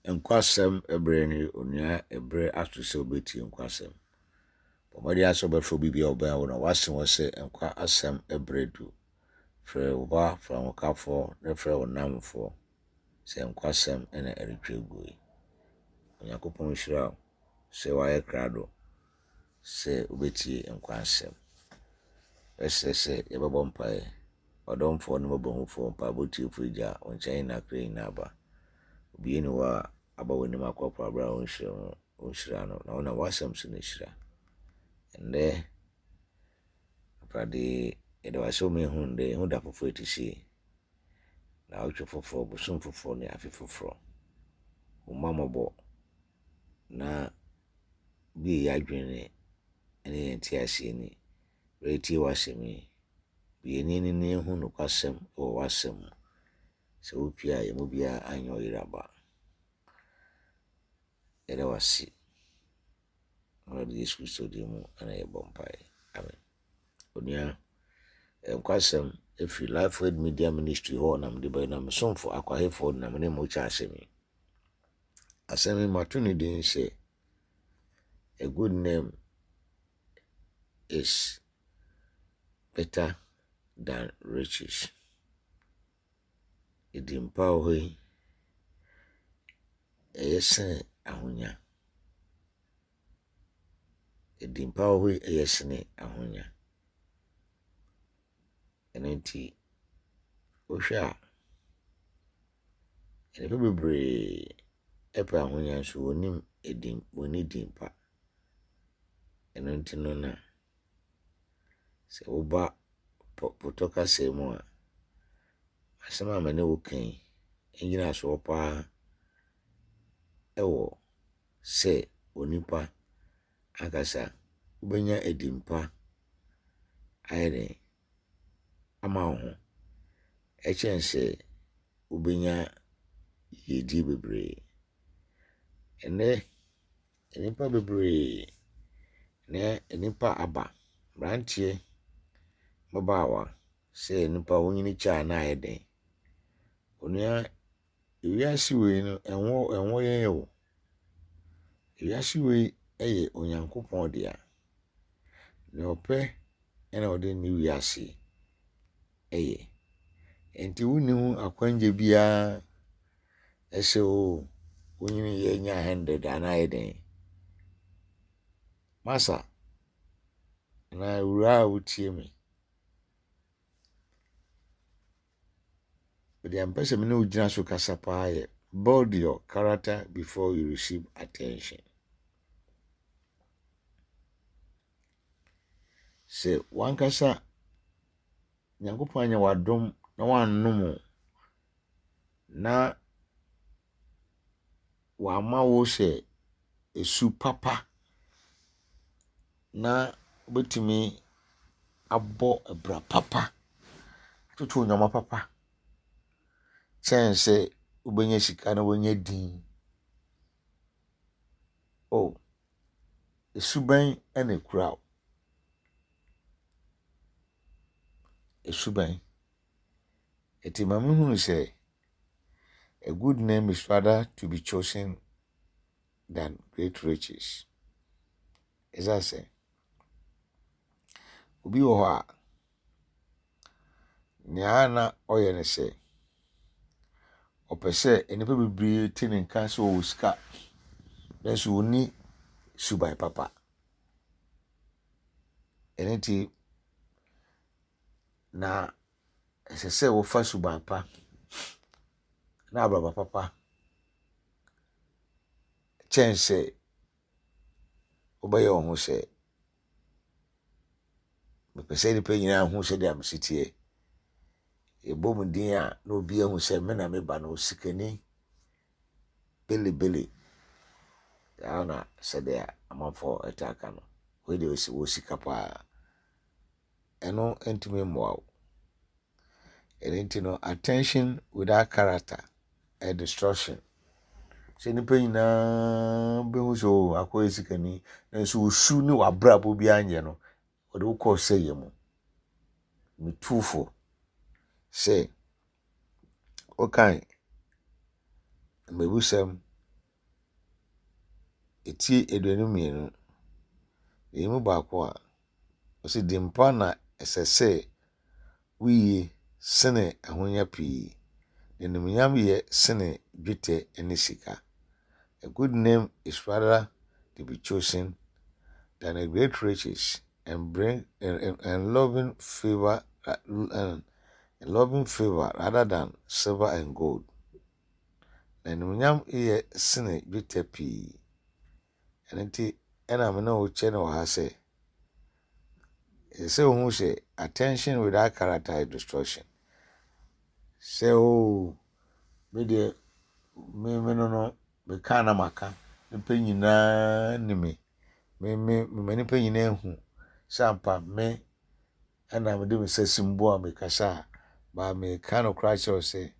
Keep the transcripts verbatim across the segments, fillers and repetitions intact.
Nkwasɛm berɛ ne onua ɛberɛ aso sɛ wobɛtie nkwasɛm. Bɔ mmɔden ara sɛ wobɛfrɛ obi biara a ɔbɛn wo na wase wɔ sɛ nkwa asɛm berɛ du. Frɛ wo ba, frɛ wo hokafoɔ na frɛ wo nnamfoɔ sɛ nkwasɛm na ɛretwa gu yi. Onyankopɔn nhyira wo sɛ woayɛ krado sɛ wobɛtie nkwa asɛm. Ɛsɛ sɛ yɛbɛbɔ mpaeɛ. Ɔdomfoɔ ne mmɔborɔhufoɔ, mpaebɔ tiefoɔ Agya, wo nkyɛn na akra nyinaa ba. Obiara nni hɔ a aba w'anim akɔpɔ aberɛ a wonhyira no, wonhyira no, na wonam w'asɛm so na ɛhyira. Ɛnnɛ, Awurade, yɛda wo ase sɛ woma yɛhu nnɛ, yɛhu da foforɔ ɛte sei. Naawɔtwe foforɔ, bosom foforɔ ne afe foforɔ. Wo mma mmɔbɔ na bue yɛn adwene ne yɛn nteaseɛ ni. Berɛ yɛtie w'asɛm yi, bue yɛn ani na yɛnhu nokwasɛm wɔ w'asɛm mu. Sɛ wopue a, yɛn mu biara anyɛ ɔyeraba. Yɛda wo ase. Awurade Yesu Kristo din mu ana yɛbɔ mpaeɛ. Amen. Onua, nkwasɛm ɛfiri Lifeword Media Ministry hɔ na mede bɛyɛ na mesomfo akwahefoɔ na mene mo kyɛ asɛm yi. Asɛm yi mato ne din sɛ a good name is better than riches. Edin pa wɔ hɔ yi, ɛyɛ sene ahonya. Edin pa wɔ hɔ yi, ɛyɛ sene ahonya. Ɛno nti, wohwɛ a, nnipa bebree ɛpɛ ahonya nso wɔnnim edin, wɔnni din pa. Ɛno nti no na sɛ woba potɔ kasa mu a, asɛm a me ne wo ka yi, ngyinasoɔ paa ɛwɔ sɛ onipa ankasa wobɛnya edin pa ayɛ dɛn ama wo ho ɛkyɛn sɛ wobɛnya yiedie bebree. Ɛnnɛ, nnipa bebree na nnipa aba, mmeranteɛ, mmabaawa sɛ nnipa wonyini kyɛ a na ayɛ den. Onua, ewiase wei no, ɛnwɔ ɛnwɔ yɛn o. Ewiase wei yɛ Onyankopɔn dea. Nea ɔpɛ ɛna ɔde ne wiase ɛyɛ. Nti wonni ho akwangye biara ɛsɛ o wonyini yɛ nya hundred anaa ayɛ den. Masa, anaa awuraa a wotie me, deɛ mpɛ sɛ me ne wo gyina so kasa paa yɛ build your character before you receive attention. Sɛ wankasa Nyankopɔn anyɛ w'adom na wannom wo na wamma wo sɛ esu papa na wobɛtumi abɔ bra papa, atoto nneɛma papa kyɛn sɛ wobɛnya sika na woanya din. Oh, esu bɛn na ekura wo? Esu bɛn? Enti ma mehunu sɛ a good name is rather to be chosen than great riches. Ɛsiane sɛ obi wɔ hɔ a nea na ɔyɛ ne sɛ ɔpɛ sɛ nnipa bebree te ne nka sɛ ɔwɔ sika nanso ɔnni suban papa. Ɛno nti na ɛsɛ sɛ wofa suban pa na abrabɔ papa kyɛn sɛ wobɛyɛ wo ho sɛ mepɛ sɛ nnipa nyinaa hu sɛdeɛ mesi teɛ. Yɛbɔ mu din a na obi ahu sɛ me na meba no osikani belebele. Saa na sɛdeɛ amanfoɔ ɛtaa ka no. Wei deɛ ɔsi wɔ sika paa. Ɛno ntumi mmoa wo. Ɛno nti no attention without character ɛyɛ destruction. Sɛ nnipa nyinaa bɛhu sɛ o akɔyɛ sikani nanso wo su ne w'abrabɔ biara nyɛ no, wɔde wo kɔɔ sɛeɛ mu. Metu fo sɛ wokan mmebusɛm Eti aduonu mmienu, ɛyi mu baako a, ɔsi din pa na ɛsɛ sɛ woyie sene ahonya pii. Animuonyam yɛ sene dwetɛ ne sika. A good name is rather to be chosen than a great riches and bring and, and, and loving favor uh, and loving favor rather than silver and gold. Na animuonyam yɛ sene dwetɛ pii. Ɛno nti ɛna me ne wo kyɛ no wɔ ha sɛ ɛsɛ sɛ wohu sɛ attention without character is destruction. Sɛ o me deɛ me me no no meka na maka nipa nyinaa ni me me me me nipa nyinaa hu sɛ ampa me ɛna mede me nsa si mbo a mekasa a baa meka no koraa kyerɛ wo sɛ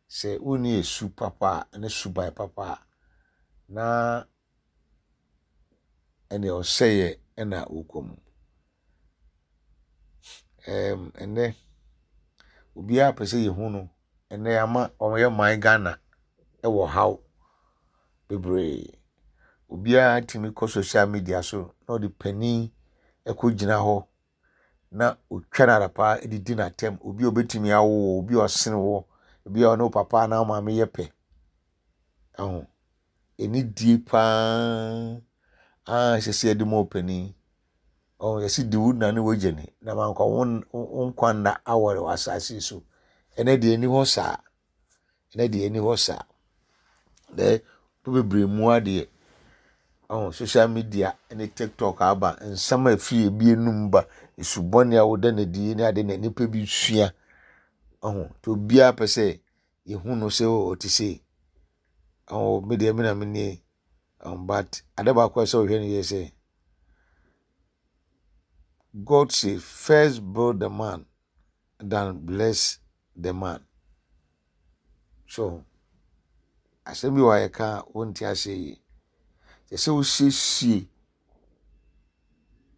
sɛ wonni esu papa a ne suban papa a na ɛne ɔsɛeɛ ɛna wokɔ mu. Ɛɛm ɛnɛ obiara pɛ sɛ yɛhu no ɛnɛ ama ɔyɛ man Ghana ɛwɔ haw bebree. Obiara tumi kɔ social media so na ɔde panin ɛkɔ gyina hɔ na otwa no adapaa de di n'atɛm. Obi a obetumi awo wo, obi a ɔsene wo, obi a ɔne wo papa anaa wo maame yɛ pɛ. Ɛho anidie paa a ɛsɛ sɛ yɛde ma ɔpanin. Ɔho yɛsi di wo na ne w'agya ni na mankɔ wo wo nkwa nna awɔre wɔ asase yi so. Ɛnɛ deɛ ɛni hɔ saa. Ɛnɛ deɛ ɛni hɔ saa. Dɛ bebree mu adeɛ. Ɔho social media ne TikTok aba nsɛm a ɛfiri ebi enum ba esubɔne a wɔda n'adi ne ade na nipa bi sua. Ɔho nti obiara pɛ sɛ yɛhu no sɛ ɔte sei. Ɔho me deɛ me na me nie. Um, but ade baako a ɛsɛ sɛ ɔhwɛ no yɛ sɛ God say first build the man than bless the man. So asɛm bi wɔ a yɛka a wonte aseɛ yie. Kyerɛ sɛ wosiesie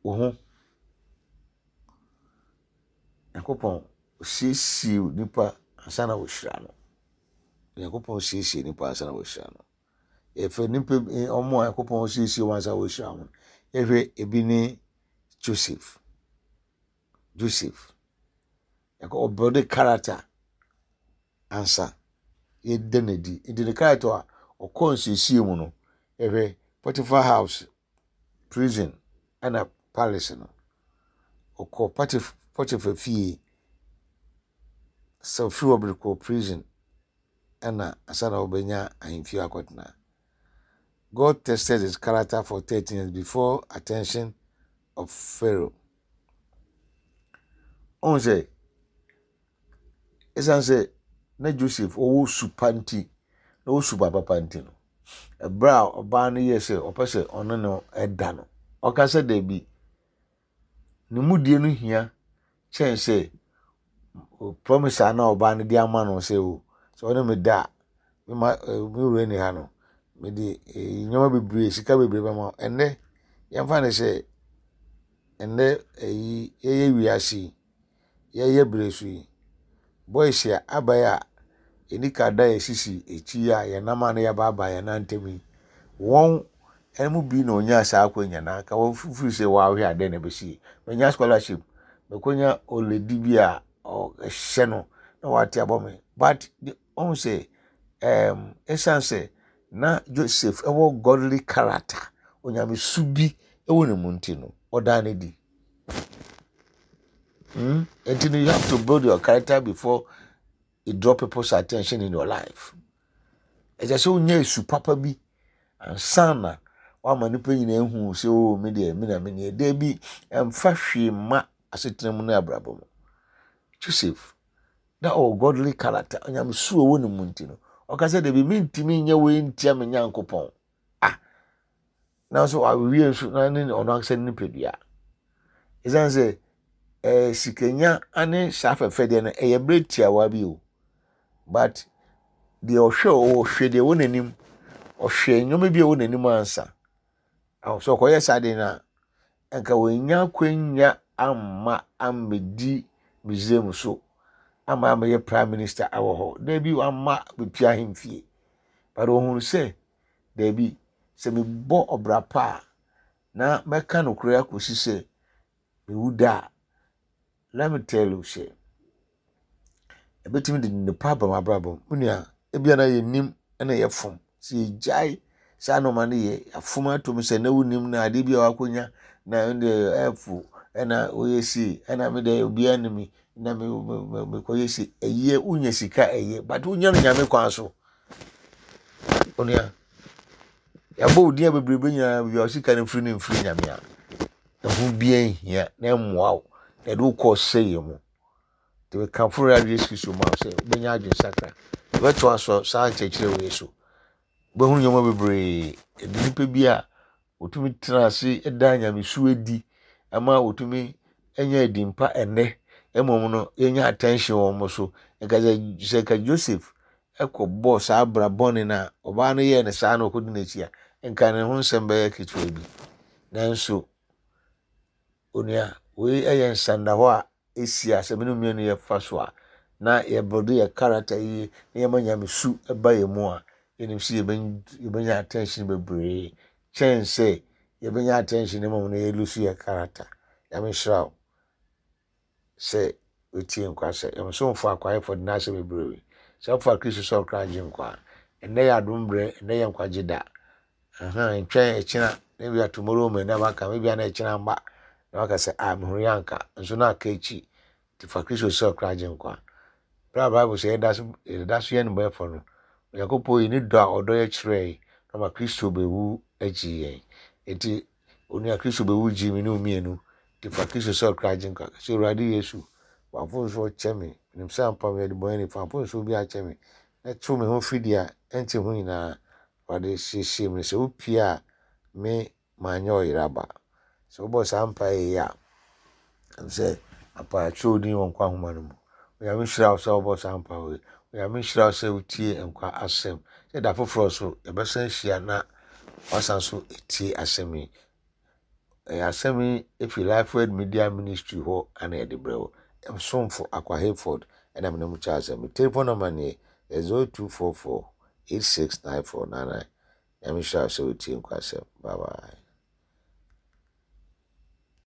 wo ho. Nyankopɔn osiesie nipa ansa na wɔhyira no. Nyankopɔn siesie nipa ansa na wɔhyira no. Yɛfɛ nipa bi ɔmo a Nyankopɔn siesie wɔn ansa na wɔhyira wɔn. Yɛhwɛ ebi ne Joseph. Joseph. Yɛkɔ ɔbuild character ansa yɛda n'adi. Nti ne character a ɔkɔɔ nsiesie mu no, yɛhwɛ Potiphar house, prison ɛna palace no. Ɔkɔɔ Potiphar fie sɛ ofiri hɔ de kɔɔ prison ɛna ansa na ɔbɛnya ahemfie akɔtena. God tested his character for thirteen years before attention of Pharaoh. Ɔhu sɛ ɛsiane sɛ na Joseph ɔwɔ su pa nti na ɔwɔ suban papa nti no, ɛberɛ a ɔbaa no yɛɛ sɛ ɔpɛ sɛ ɔne no ɛda no, ɔka sɛ daabi, ne mudie no hia kyɛn sɛ promise a na ɔbaa no de ama no sɛ o sɛ ɔne me da a mema me wura ni ha no mede nneɛma bebree sika bebree bɛma wo. Ɛnnɛ yɛmfa no sɛ ɛnnɛ ɛyi yɛyɛ wiase yi yɛyɛ bere so yi boys a aba yi a yɛni ka da yɛsisi akyi a yɛnam a na yɛabaabaa yɛn nan ntam yi wɔn mu bi na onyaa saa akonnwa na anka wɔfiri sɛ wɔahwɛ adeɛ na ɛbɛsi manya scholarship mɛkɔnya olady bi a ɔhyɛ no na wate abɔ me but ɔhu sɛ ɛɛm ɛsiane sɛ na Joseph ɛwɔ godly character onyamesu bi ɛwɔ ne mu nti no ɔdaa ne di mm nti no you have to build your character before you draw people's attention in your life ɛsɛ sɛ wonya esu papa bi ansa na wama nipa nyinaa ehu sɛ o mi deɛ mi na mi nie deebi ɛmfa hwee mma asetena mu ne abrabɔ mu Joseph na ɔwɔ godly character onyamesu a ɛwɔ ne mu nti no ɔka sɛ deebi mi ntumi nyɛ wei ntia mi nyankopɔn ah nanso awie nso na ne ɔno ankasa ne nipadua ɛsiane sɛ ɛɛ sikanya ne saa fɛfɛ deɛ no ɛyɛ bere tiawa bi o but deɛ ɔhwɛ ɔhwɛ deɛ ɛwɔ n'anim ɔhwɛ nneɛma bi a ɛwɔ n'anim ansa aho sɛ ɔkɔyɛ saa deɛ no a nka wɔnya akwanya amma ammɛdi Misraim so ama amɛyɛ prime minister awɔ hɔ daabi wamma bepia ahemfie but ohun sɛ daabi Sɛ mebɔ ɔbra pa a, na mɛka nokorɛ akɔsi sɛ mewu da a, let me tell you sɛ ɛbɛtumi de nnepa aba m'abrabɔ mu. Me nua, ebia na yɛnim na yɛfom. Sɛ yɛgyae saa nneɛma no yɛ, afom atom sɛ na wonim na adeɛ bi a wakɔnya na ɛno ɛfo ɛna woyɛ sei ɛna me deɛ obiara nim me na me me mekɔyɛ sei. Ɛyɛ wonya sika ɛyɛ but wonya no Nyame kwan so. Onua, yɛabɔ wo din a bebrebe nyinaa baabi a sika no mfiri no mfiri Nyame a, ɛho biara nhia na ɛmmoa wo na ɛde wo kɔ ɔsɛeɛ mu. Nti mekamfo Awurade Yesu Kristo ma wo sɛ wobɛnya adwensakra. Yɛbɛtoa so saa nkyerɛkyerɛ wei so. Wobɛhunu nneɛma bebree. Ɛde nnipa bi a wɔtumi tena ase da nyamesu adi ama wɔtumi anya adi mpa ɛnnɛ. Mmom no, yɛnya attention wɔ wɔn so. Nka sɛ sɛ nka Joseph ɛkɔbɔɔ saa abra bɔne no a ɔbaa no yɛɛ no saa na ɔkɔdi n'akyi a, nka ne ho nsɛm bɛyɛ ketewa bi. Nanso, onua, wei yɛ nsandahɔ a ɛsi a sɛ me ne mmienu yɛfa so a, na yɛbuild yɛ character yie na yɛma nyamesu ba yɛn mu a, yɛnim sɛ yɛbɛnya attention bebree kyɛn sɛ yɛbɛnya attention mmom no yɛlose yɛ character. Nyame nhyira wo sɛ wotie nkwasɛ. Yɛmsomfo akwaeɛfo de n'asɛm bebree. Sɛ wofa Kristo sɛ ɔkra agye nkwa a, ɛnnɛ yɛ adom berɛ, ɛnnɛ yɛ nkwagye da. Ntwɛn ɛkyena na ebia tomorrow may never come, ebia na ɛkyena mba na waka sɛ ah mehunu yɛ anka nso na aka akyi. Nti fa Kristo sɛ ɔkra agye nkwa. Berɛ a Bible sɛ yɛda so yɛda so yɛ nnebɔneyɛfoɔ no, Onyankopɔn yi ne dɔ a ɔdɔ yɛ kyerɛɛ na ɔma Kristo bɛwu agye yɛn. Nti onua Kristo bɛwu gye me ne wo mmienu. Nti fa Kristo sɛ ɔkra agye nkwa. Sɛ Awurade Yesu, w'mfomsoɔ kyɛ me. Menim sɛ ampa meyɛ ɔdebɔneyɛni, fa mfomsoɔ bi akyɛ me. Na tew me ho firi deɛ ɛnte ho nyinaa. Awurade siesie me sɛ wopie a me manyɛ ɔyeraba. Sɛ wobɔ saa mpaeɛ yi a, ɛm sɛ apa atwerɛ wo din wɔ nkwa nhoma no mu. Onyame nhyira wo sɛ wobɔ saa mpaeɛ yi. Onyame nhyira wo sɛ wotie nkwa asɛm. Sɛ da foforɔ so yɛbɛsan ahyia na wasan so etie asɛm yi. Ɛyɛ asɛm yi efi Life Word Media Ministry hɔ ana yɛde brɛ wo. Msomfo Akwa Hayford ɛna mene mo kyɛ asɛm. Me telephone number nie zero two four four eight six nine four nine nine. Nyame nhyira wo sɛ wotie nkwa asɛm. Bye bye.